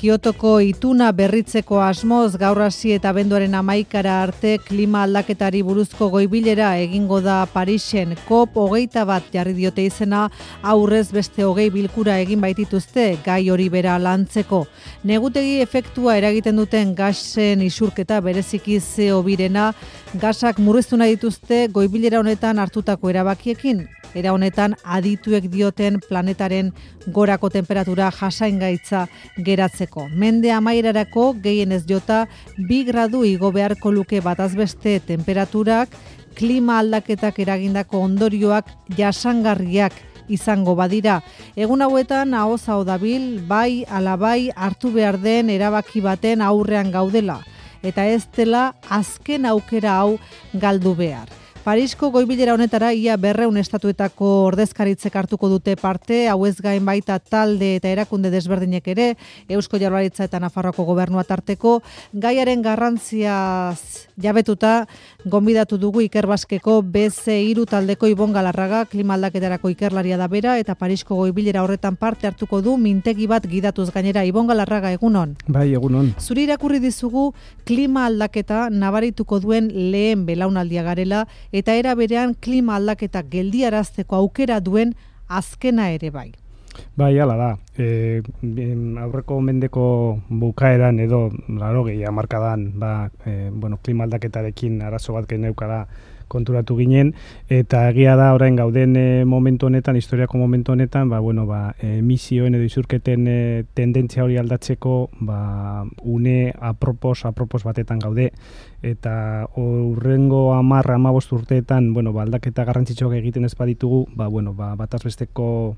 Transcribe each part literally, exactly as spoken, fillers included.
Kiotoko ituna berritzeko asmoz gaur hasi eta abenduaren hamaikara arte klima aldaketari buruzko goibilera egingo da Parisen. COP hogeita bat jarri diote izena, aurrez beste hogei bilkura egin baitituzte gai hori bera lantzeko. Negutegi efektua eragiten duten gasen isurketa bereziki C O birena, gasak murriztu nahi dituzte goibilera honetan hartutako erabakiekin. Era honetan adituek dioten planetaren gorako temperatura jasaingaitza geratzeko. Mende amaierarako gehienez jota bi gradu igo beharko luke batazbeste temperaturak, klima aldaketak eragindako ondorioak jasangarriak izango badira. Egun hauetan ahoz hau dabil, bai ala bai hartu behar den erabaki baten aurrean gaudela, eta ez dela azken aukera hau galdu behar. Parisko goibilera honetara ia berreun estatuetako ordezkaritzek hartuko dute parte, hau ez gain baita talde eta erakunde desberdinek ere, Eusko Jaurlaritza eta Nafarroako gobernua tarteko, gaiaren garrantziaz jabetuta, gonbidatu dugu Ikerbasqueko B C hiru taldeko Ibon Galarraga, klima aldaketarako ikerlaria da bera, eta Parisko goibilera horretan parte hartuko du mintegi bat gidatuz gainera. Ibon Galarraga, egunon. Bai, egunon. Zuri irakurri dizugu klima aldaketa nabarituko duen lehen belaunaldia garela, eta era berean klima aldaketak geldiarazteko aukera duen azkena ere bai. Bai, hala da. E, aurreko mendeko bukaeran edo laurogei hamarkadan ba, e, bueno, klima aldaketarekin arazo bat geneukala konturatu ginen, eta egia da orain gauden e, momentu honetan, historiako momentu honetan, ba, bueno, ba, emisioen edo isurketen e, tendentzia hori aldatzeko ba, une apropos, apropos batetan gaude, eta urrengo hamar, hamabost urteetan, bueno, ba, aldaketa garrantzitsuak egiten ez baditugu, ba, bueno, ba, batazbesteko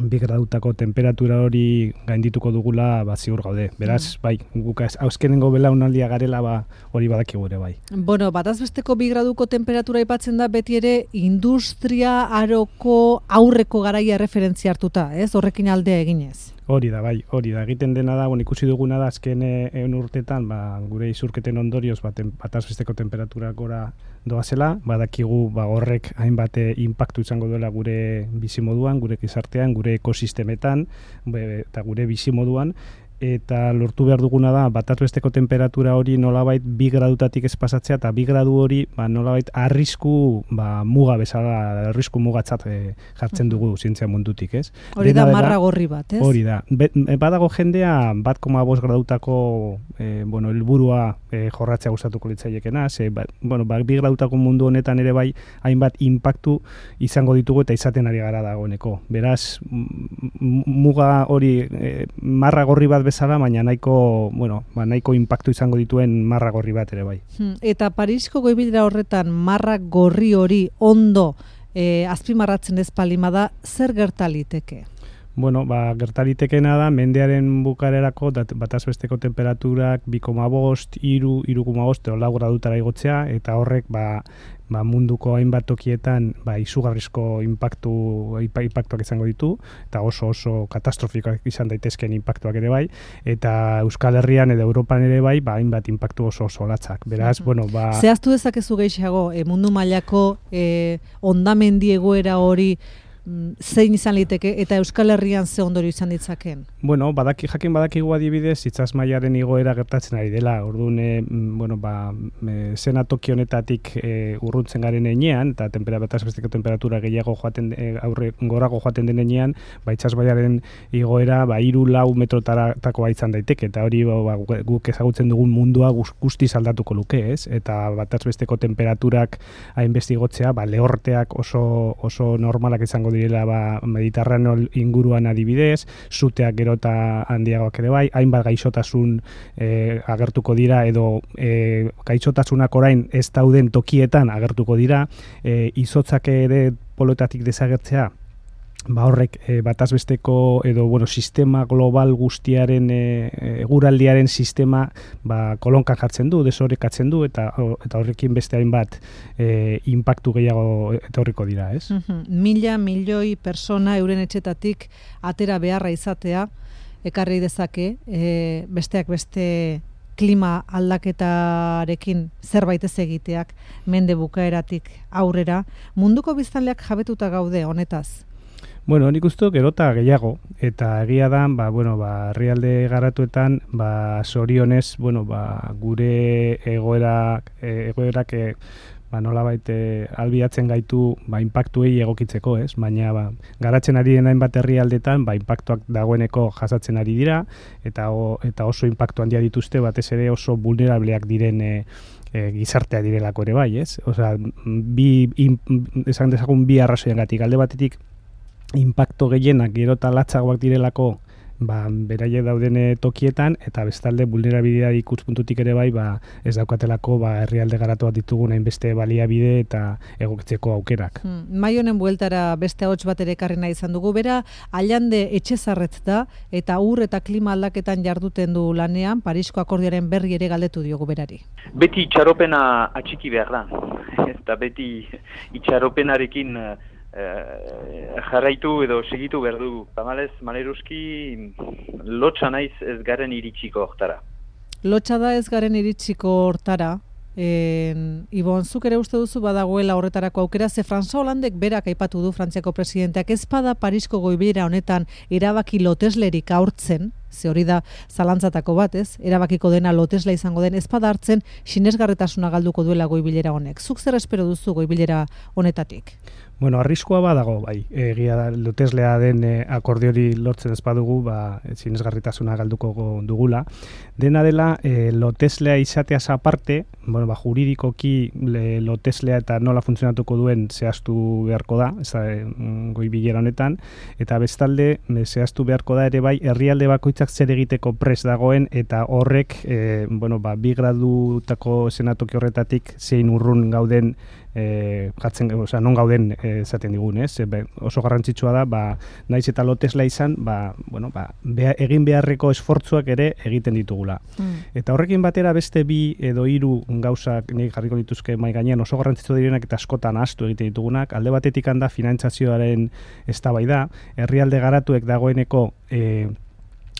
bi gradutako temperatura hori gaindituko dugula ba, ziur gaude. Beraz, bai, guk auskenengo belaunaldia garela ba, hori badakigu ere bai. Bueno, batazbesteko bi graduko temperatura aipatzen da beti ere industria aroko aurreko garaia referentzia hartuta, ez? Horrekin aldea eginez. Hori da, bai, hori da. Egiten dena da, bon, ikusi duguna da, azken egun urtetan, ba, gure isurketen ondorioz, bat, batazbesteko temperatura gora doazela, badakigu ba, horrek hainbat inpaktu izango duela gure bizimoduan, gure gizartean, gure ekosistemetan, be, eta gure bizimoduan, eta lortu behar duguna da, batazbesteko temperatura hori nolabait bi gradutatik ez pasatzea, eta bi gradu hori ba, nolabait arrisku ba, muga bezala, arrisku mugatzat e, jartzen dugu zientzia mundutik, ez? Hori da marra gorri bat, ez? Hori da. Be, badago jendea, bat koma bost gradutako e, bueno, helburua e, jorratzea gustatuko litzaiekena, ze, ba, bueno, ba, bi gradutako mundu honetan ere bai, hainbat inpaktu izango ditugu eta izaten ari gara dagoeneko. Beraz, muga hori e, marra gorri bat bezala, baina nahiko, bueno, ba, nahiko inpaktu izango dituen marra gorri bat ere bai. Eta Parisko goibilera horretan marra gorri hori ondo eh, azpimarratzen ez palima da, zer gertaliteke? Bueno, ba, gertalitekena da, mendearen bukarerako batazbesteko temperaturak bi koma bost, hiru, hiru koma bost, edo lau gradutara igotzea, eta horrek ba, ba, munduko hainbat tokietan ba, izugarrizko impaktu, impaktuak izango ditu, eta oso oso katastrofikoak izan daitezkeen impaktuak ere bai, eta Euskal Herrian edo Europan ere bai, ba, hainbat impaktu oso oso latzak. Beraz, uh-huh. bueno, ba... Zehaztu dezakezu gehiago, e, mundu mailako e, ondamendi egoera hori zein izan liteke eta Euskal Herrian ze ondorio izan ditzaken? Bueno, badaki, jakin badakigu adibidez, itsas mailaren igoera gertatzen ari dela. Orduan, e, bueno, ba, e, zena toki honetatik e, urruntzen garen enean, eta batazbesteko temperatura gehiago joaten, e, aurre gorago joaten den enean, ba, itsas mailaren igoera, ba, hiru lau metrotakoa izan daiteke, eta hori ba, guk ezagutzen dugun mundua guztiz aldatuko luke, ez? Eta batazbesteko temperaturak hainbeste igotzea, ba, lehorteak oso, oso normalak izango direla ba, Mediterraneo inguruan adibidez, zuteak gero eta handiagoak ere bai, hainbat gaixotasun e, agertuko dira edo e, gaixotasunak orain ez dauden tokietan agertuko dira, e, izotzak ere poloetatik desagertzea, ba horrek e, batazbesteko edo bueno, sistema global guztiaren e, eguraldiaren sistema ba, kolonkan jartzen du, desorekatzen du eta eta horrekin beste hainbat e, inpaktu gehiago etorriko dira, ez? Uh-huh. Mila milioi persona euren etxetatik atera beharra izatea ekarri dezake, e, besteak beste klima aldaketarekin zerbait ez egiteak mende bukaeratik aurrera. Munduko biztanleak jabetuta gaude honetaz? Bueno, nik uste gerota gehiago, eta egia da, ba, bueno, ba, herrialde garatuetan, ba, sorionez, bueno, ba, gure egoera, egoerak, e, ba, nolabait e, albiatzen gaitu, ba, inpaktuei egokitzeko, ez? Baina, ba, garatzen ari den hainbat herrialdetan, ba, inpaktuak dagoeneko jasatzen ari dira, eta, o, eta oso inpaktu handia dituzte, batez ere oso vulnerableak diren e, E, gizartea direlako ere bai, ez? Osea, bi, in, esan dezagun bi arrazoiengatik, alde batetik inpakto gehienak gero eta latzagoak direlako ba, beraiek dauden tokietan, eta bestalde vulnerabilidade ikuspuntutik ere bai, ba, ez daukatelako ba, herrialde garatu bat ditugun hainbeste baliabide eta egokitzeko aukerak. Hmm. Mai honen bueltara beste ahots bat ere ekarri nahi izan dugu, bera Allande Etxezarretz da, eta ur eta klima aldaketan jarduten du lanean, Parisko akordioaren berri ere galdetu diogu berari. Beti itxaropena atxiki behar da, eta beti itxaropenarekin Uh, jarraitu edo segitu behar du. Tamalez, Maleruzki lotxa naiz ez garen iritsiko hortara. Lotxa da ez garen iritsiko hortara. En, Ibon, zuk ere uste duzu badagoela horretarako aukera, ze François Hollandek berak aipatu du Frantziako presidenteak ez bada Parisko goibilera honetan erabaki loteslerik aurtzen, ze hori da zalantzatako bat, ez? Erabakiko dena lotesla izango den, ez bada hartzen sinesgarretasuna galduko duela goibilera honek. Zuk zer espero duzu goibilera honetatik? Bueno, arriskoa badago, bai, egia da, loteslea den e, akordiori lortzen ez badugu, ba, sinesgarritasuna galduko dugula. Dena dela, e, loteslea izateaz aparte, bueno, ba, juridikoki le, loteslea eta nola funtzionatuko duen zehaztu beharko da, ez da, e, goi bilera honetan, eta bestalde, e, zehaztu beharko da ere bai, herrialde bakoitzak zer egiteko pres dagoen, eta horrek, e, bueno, ba, bi gradutako senatoki horretatik zein urrun gauden, E, jatzen, osea, non gauden esaten digun, ez? E, oso garrantzitsua da, ba, naiz eta lotesla izan, ba, bueno, ba, beha, egin beharreko esfortzuak ere egiten ditugula. Mm. Eta horrekin batera beste bi edo hiru gauzak nik jarriko dituzke mai gainean oso garrantzitsua direnak eta askotan ahaztu egiten ditugunak. Alde batetik handa finantzazioaren eztabaida, herrialde garatuek dagoeneko e,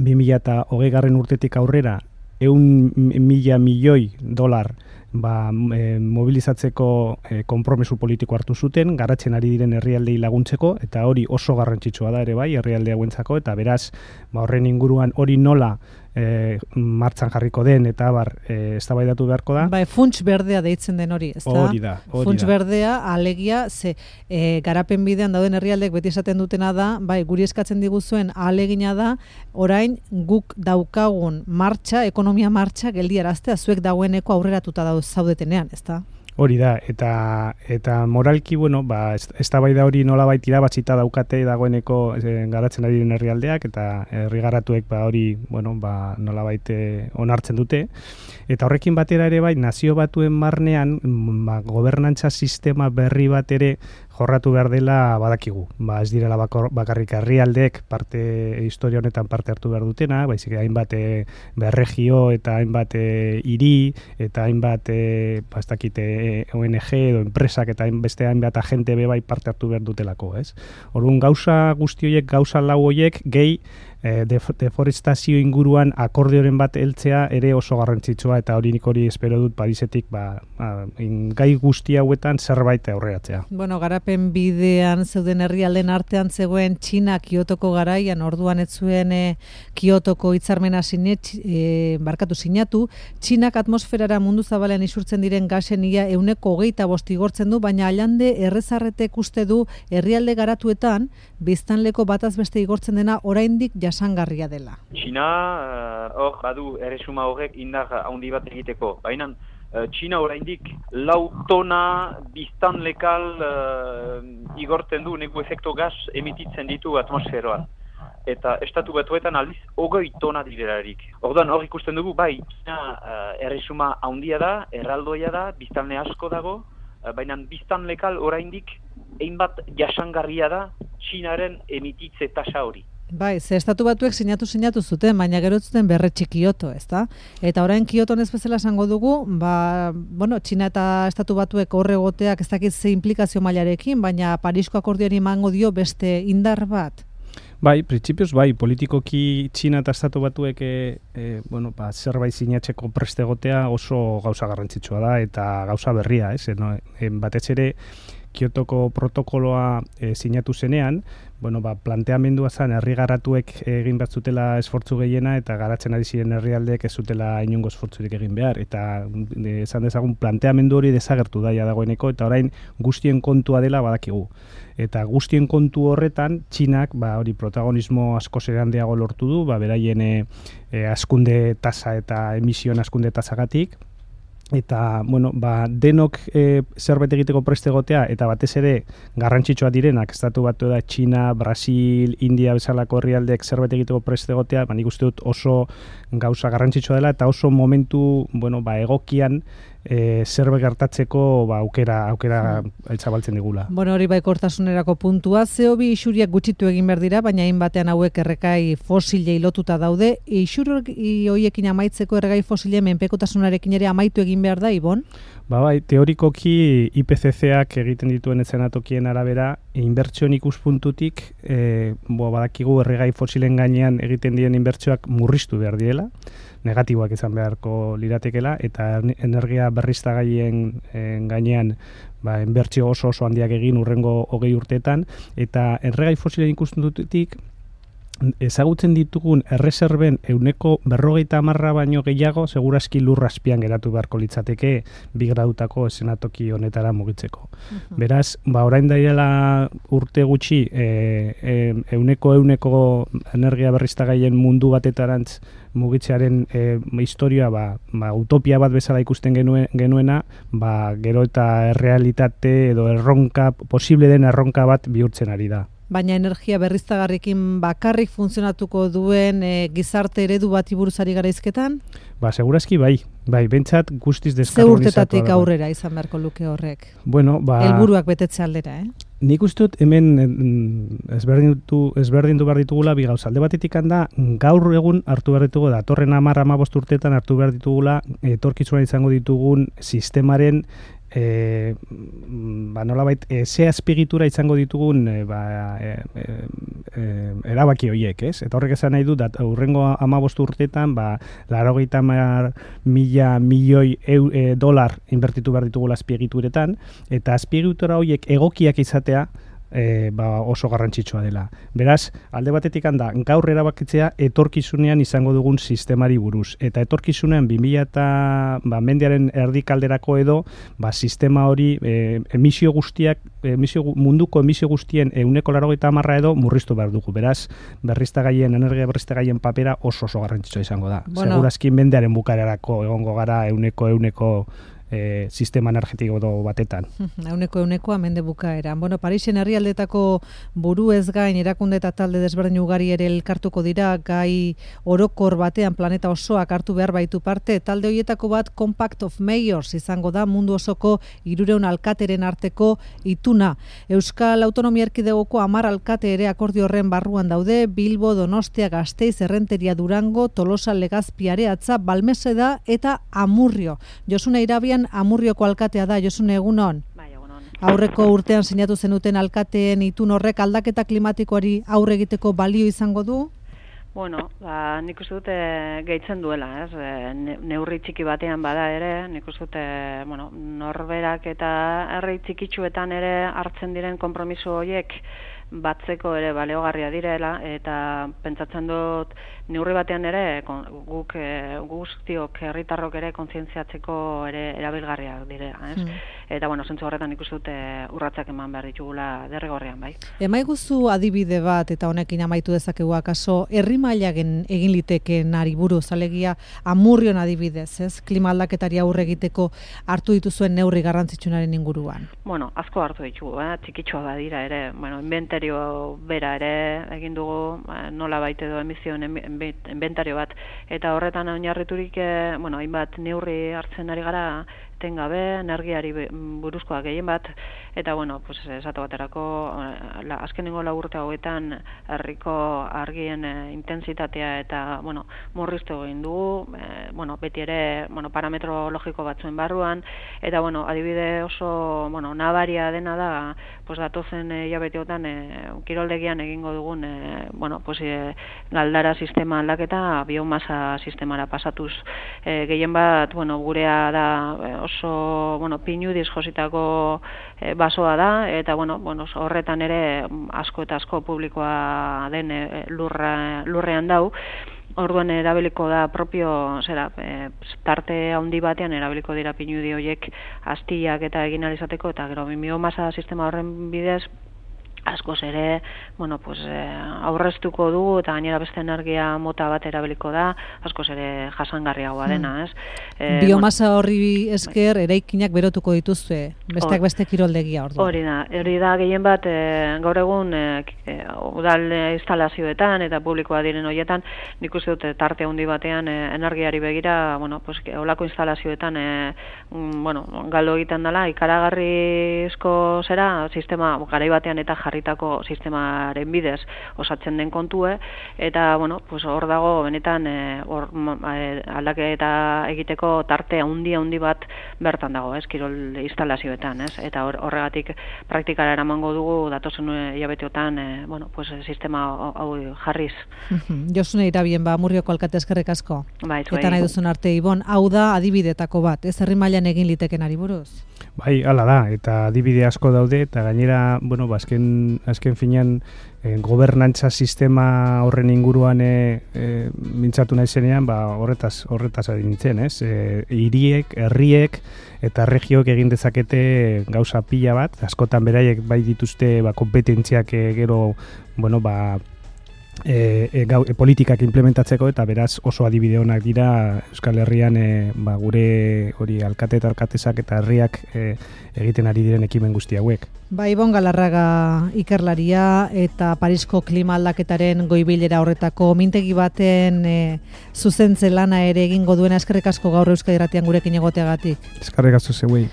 bi mila hogeigarren urtetik aurrera ehun mila milioi dolar ba, e, mobilizatzeko e, konpromesu politiko hartu zuten, garatzen ari diren herrialdei laguntzeko, eta hori oso garrantzitsua da ere bai, herrialde hauentzako, eta beraz, ba, horren inguruan hori nola e, martxan jarriko den, eta bar, e, eztabaidatu beharko da. Bai, funts berdea deitzen den hori, ez da? Hori da, hori funts da. berdea, alegia, ze e, garapen bidean dauden herrialdek beti esaten dutena da, bai, guri eskatzen diguzuen ahalegina da, orain guk daukagun martxa, ekonomia martxa, geldiaraztea, zuek dagoeneko aurreratuta dauz zaudetenean, ez da? Hori da, eta eta moralki, bueno, ba, eztabaida hori nolabait irabatzita daukate dagoeneko e, garatzen ari diren herrialdeak, eta herri garatuek ba, hori, bueno, ba, nolabait onartzen dute. Eta horrekin batera ere bai, nazio batuen barnean, ba, gobernantza sistema berri bat ere jorratu behar dela badakigu. Ba, ez direla bakor, bakarrik herrialdeek parte historia honetan parte hartu behar dutena, baizik hainbat e, berregio eta hainbat e, hiri eta hainbat e, ba, ez dakite O N G edo enpresak eta beste hainbat agente be bai parte hartu behar dutelako, ez? Orduan gauza guzti horiek, gauza lau horiek gehi deforestazio inguruan akordioren bat heltzea ere oso garrantzitsua, eta hori nik hori espero dut Parisetik ba, ba, gai guzti hauetan zerbait aurreratzea. Bueno, garapen bidean zeuden herrialden artean zegoen Txina Kiotoko garaian, orduan ez zuen e, Kiotoko hitzarmena sinet, e, barkatu sinatu. Txinak atmosferara mundu zabalean isurtzen diren gasen ia ehuneko hogeita bost igortzen du, baina Allande Errezarretek uste du herrialde garatuetan biztanleko bataz beste igortzen dena oraindik jasangarria dela. Txina hor uh, badu erresuma horrek indar handi bat egiteko. Baina uh, Txina oraindik lau tona biztan lekal uh, igortzen du, neku efekto gas emititzen ditu atmosferoan. Eta estatu batuetan aldiz hogei tona direlarik. Orduan hor ikusten dugu, bai, Txina uh, erresuma handia da, erraldoia da, biztanle asko dago, uh, baina biztan lekal oraindik hainbat jasangarria da Txinaren emititze tasa hori. Bai, ze estatu batuek sinatu sinatu zuten, baina gero zuten berretsi Kioto, ezta? Eta orain Kioton ez bezala esango dugu, ba, bueno, Txina eta estatu batuek horre egoteak ez dakit ze implikazio mailarekin, baina Parisko akordioari emango dio beste indar bat. Bai, printzipioz bai, politikoki Txina eta estatu batuek e, e, bueno, ba, zerbait sinatzeko preste egotea oso gauza garrantzitsua da eta gauza berria, ez? No, e, batez ere Kiotoko protokoloa e, sinatu zenean, bueno, ba, planteamendua zen herri garatuek egin bat zutela esfortzu gehiena eta garatzen ari ziren herrialdeek ez zutela inongo esfortzurik egin behar. Eta e, esan dezagun planteamendu hori desagertu daia dagoeneko eta orain guztien kontua dela badakigu. Eta guztien kontu horretan, Txinak ba, hori protagonismo asko zer handiago lortu du, ba, beraien e, e, askunde tasa eta emisioen askunde tasagatik. Eta, bueno, ba, denok e, zerbait egiteko preste egotea, eta batez ere garrantzitsua direnak, estatu batu da Txina, Brasil, India bezalako herrialdeek zerbait egiteko preste egotea, ba, nik uste dut oso gauza garrantzitsua dela, eta oso momentu, bueno, ba, egokian e, zerbait gertatzeko ba, aukera, aukera zabaltzen digula. Bueno, hori baikortasunerako puntua, C O bi isuriak gutxitu egin behar dira, baina hainbatean hauek erregai fosilei lotuta daude, isur horiekin amaitzeko erregai fosilei menpekotasunarekin ere amaitu egin behar da, Ibon? Ba bai, teorikoki I P C C-ak egiten dituen eszenatokien arabera, inbertsioen ikuspuntutik, e, bo, badakigu erregai fosilen gainean egiten diren inbertsioak murriztu behar direla, negatiboak izan beharko liratekela, eta energia berriztagaien e, gainean ba, inbertsio oso oso handiak egin urrengo hogei urteetan, eta erregai fosilen ikuspuntutik, ezagutzen ditugun erreserben euneko berrogeita hamarra baino gehiago segurazki lurra azpian geratu beharko litzateke bi gradutako eszenatoki honetara mugitzeko. Uh-huh. Beraz, ba, orain daiela urte gutxi e, e, euneko euneko energia berriztagaien mundu batetarantz mugitzearen e, historia ba, ba, utopia bat bezala ikusten genuen, genuena, ba, gero eta errealitate edo erronka, posible den erronka bat bihurtzen ari da. Baina energia berriztagarriekin bakarrik funtzionatuko duen e, gizarte eredu bati buruz ari gara hizketan? Ba, segurazki bai. Bai, bentsat guztiz deskarbonizatua. Ze urtetatik aurrera izan beharko luke horrek? Bueno, ba... helburuak betetze aldera, eh? Nik uste dut hemen ezberdindu ezberdindu behar ditugula bi gauza. Alde batetik handa, gaur egun hartu behar ditugu, datorren hamar hamabost urteetan hartu behar ditugula, etorkizunan izango ditugun sistemaren E, ba, nolabait, e, ze azpigitura izango ditugun e, ba, e, e, e, erabaki horiek, ez? Eta horrek esan nahi du, dat, urrengo hamabost urteetan, ba, laurogeita hamar mila milioi eu, e, dolar inbertitu behar ditugula azpiegituretan, eta azpiegitura horiek egokiak izatea, E, ba, oso garrantzitsua dela. Beraz, alde batetik handa, gaur erabakitzea etorkizunean izango dugun sistemari buruz. Eta etorkizunean bi mila eta ba, mendearen erdikalderako edo ba, sistema hori e, emisio guztiak, emisio, munduko emisio guztien euneko laurogeita hamarra edo murriztu behar dugu. Beraz, berriztagaien, energia berriztagaien papera oso oso garrantzitsua izango da. Bueno. Segurazki mendearen bukarerako egongo gara euneko euneko E, sistema energetiko batetan. Euneko eunekoa mende bukaeran. Bueno, Parisen herrialdetako buru ez gain erakunde eta talde desberdin ugari ere elkartuko dira, gai orokor batean planeta osoak hartu behar baitu parte. Talde horietako bat Compact of Mayors izango da mundu osoko hirurehun alkateren arteko ituna. Euskal Autonomia Erkidegoko hamar alkate ere akordio horren barruan daude, Bilbo, Donostia, Gasteiz, Errenteria, Durango, Tolosa, Legazpi, Areatza, Balmeseda eta Amurrio. Josune Irabian Amurrioko alkatea da, Josune, egunon? Bai, egunon. Aurreko urtean sinatu zenuten alkateen itun horrek aldaketa klimatikoari aurre egiteko balio izango du? Bueno, ba, nik uste dute gehitzen duela, ez? Ne, neurri txiki batean bada ere, nik uste dute, bueno, norberak eta herri txikitsuetan ere hartzen diren konpromiso horiek batzeko ere baleogarria direla, eta pentsatzen dut neurri batean ere guk e, guztiok herritarrok ere kontzientziatzeko ere erabilgarriak direla, ez? Mm. Eta bueno, zentzu horretan ikusi dute urratsak eman behar ditugula derrigorrean, bai. Emaiguzu adibide bat eta honekin amaitu dezakegu akaso herri mailagen egin litekeen ari buruz, alegia Amurrion adibidez, ez? Klima aldaketari aurre egiteko hartu dituzuen neurri garrantzitsuenaren inguruan. Bueno, asko hartu ditugu, eh? Txikitsua badira ere, bueno, inventario bera ere egin dugu, nola baite edo emisioen inventario bat, eta horretan oinarriturik, eh, bueno, hainbat neurri hartzen ari gara, etengabe, energiari buruzkoa gehien bat, eta bueno, pues esate baterako la, azkenengo lau urte hauetan herriko argien e, intensitatea eta bueno, murriztu egin dugu, e, bueno, beti ere, bueno, parametro logiko batzuen barruan, eta bueno, adibide oso, bueno, nabaria dena da, pues datozen hilabeteotan e, kiroldegian egingo dugun e, bueno, pues e, galdara sistema aldaketa biomasa sistemara pasatuz, e, gehien bat, bueno, gurea da e, oso, bueno, pinudiz jositako e, basoa da, eta, bueno, bueno, horretan ere asko eta asko publikoa den e, lurra, lurrean dau. Orduan erabiliko da propio, zera, e, tarte handi batean erabiliko dira pinudi horiek astiak eta egin alizateko, eta gero biomasa sistema horren bidez, askoz ere, bueno, pues, eh, aurreztuko dugu eta gainera beste energia mota bat erabiliko da, askoz ere jasangarriagoa dena, ez? Eh, Biomasa horri esker eraikinak berotuko dituzue, besteak beste kiroldegia ordu. Hori da, hori da gehien bat e, gaur egun e, e, udal instalazioetan eta publikoa diren horietan, nik uste dute tarte handi batean e, energiari begira, bueno, pues, olako instalazioetan e, mm, bueno, galdo egiten dela, ikaragarrizko zera, sistema garai batean eta jarri jarritako sistemaren bidez osatzen den kontue, eta bueno, pues hor dago benetan e, or, e, aldaketa egiteko tarte handi handi bat bertan dago, ez, kirol instalazioetan, ez, eta or, horregatik praktikara eramango dugu datozen hilabeteotan e, bueno, pues sistema hau jarriz. Josune Irabien, ba, Murrioko alkate eskerrik asko. Bai, eta nahi duzun arte, Ibon, hau da adibidetako bat, ez herri mailan egin litekenari buruz? Bai, hala da, eta adibide asko daude, eta gainera, bueno, ba, azken, azken finean, eh, gobernantza sistema horren inguruan eh, eh, mintzatu nahi zenean, ba, horretaz, horretaz ari nintzen, ez? Eh, hiriek, herriek eta regioek egin dezakete gauza pila bat, askotan beraiek bai dituzte ba, kompetentziak eh, gero, bueno, ba, E, e, gau, e, politikak implementatzeko, eta beraz oso adibide onak dira Euskal Herrian e, ba, gure hori alkate eta alkatesak eta herriak e, egiten ari diren ekimen guzti hauek. Ba, Ibon Galarraga ikerlaria eta Parisko klima aldaketaren goibilera horretako mintegi baten e, zuzentze lana ere egingo duena, eskerrik asko gaur Euskadi Irratian gurekin egoteagatik. Eskerrik asko zeuei.